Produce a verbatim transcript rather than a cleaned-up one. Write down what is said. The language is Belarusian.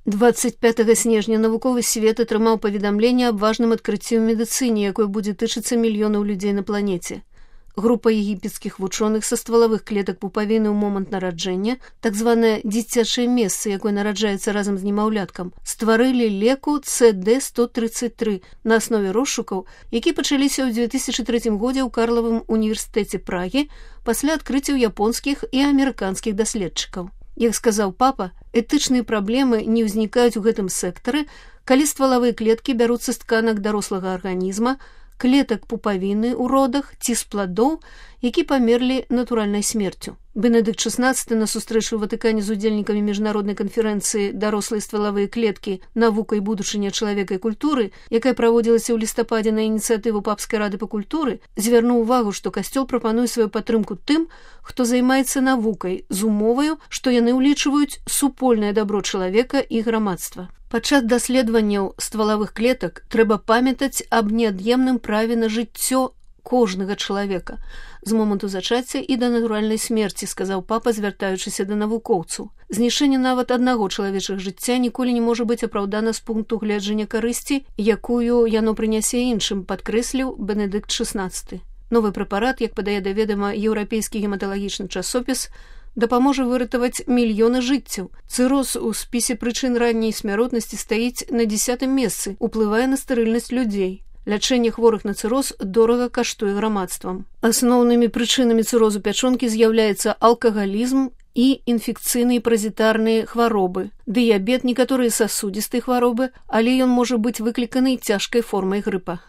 двадцать пятага снежня навуковы свет атрымаў паведамленне аб важным адкрыцці ў медыцыне, якое будзе тычыцца мільёнаў людзей на планеце. Група егіпецкіх вучоных са ствалавых клетак пупавіны ў момант нараджэння, так званае дзіцячае месца, якое нараджаецца разам з немаўляткам, стварылі леку С Д сто тридцать три на аснове розшукаў, які пачаліся ў две тысячы трэцім годзе ў Карлавым універсітэце Прагі пасля адкрыццяў японскіх і амерыканскіх даследчыкаў. Як сказаў папа, этычныя праблемы не ўзнікаюць у гэтым сектары, калі ствалавыя клеткі бяруцца з тканак дарослага арганізма, клетак пупавіны ў родах ці з пладоў, які памерлі натуральнай смерцю. Бенедыкт шаснаццаты на сустрэчы ў Ватыкане з удзельнікамі міжнароднай канферэнцыі «Дарослыя ствалавыя клеткі. Навука і будучыня чалавека і культуры», якая праводзілася ў лістападзе на ініцыятыву Папскай рады па культуры, звярнуў увагу, што касцёл прапануе сваю падтрымку тым, хто займаецца навукай, з умоваю, што яны ўлічваюць супольнае дабро чалавека і грамадства. Падчас даследаванняў ствалавых клетак трэба памятаць аб неад'емным праве на жыццё кожнага чалавека з моманту зачацця і да натуральнай смерці, сказаў папа, звяртаючыся да навукоўцаў. Знішэнне нават аднаго чалавечых жыцця ніколі не можа быць апраўдана з пункту гледжання карысці, якую яно прынясе іншым, падкрэсліў Бенедыкт шаснаццаты. Новы прэпарат, як падае да ведама еўрапейскі гематалагічны часопіс, дапаможа выратаваць мільёны жыццяў. Цыроз у спісе прычын ранняй смяротнасці стаіць на дзесятым месцы, уплывае на стэрыльнасць людзей. Лячэнне хворых на цыроз дорага каштуе грамадствам. Асноўнымі прычынамі цырозу пячонкі з'яўляецца алкагалізм і інфекцыйныя паразітарныя хваробы, дыябет, некаторыя сасудзістыя хваробы, але ён можа быць выкліканы цяжкай формай грыпа.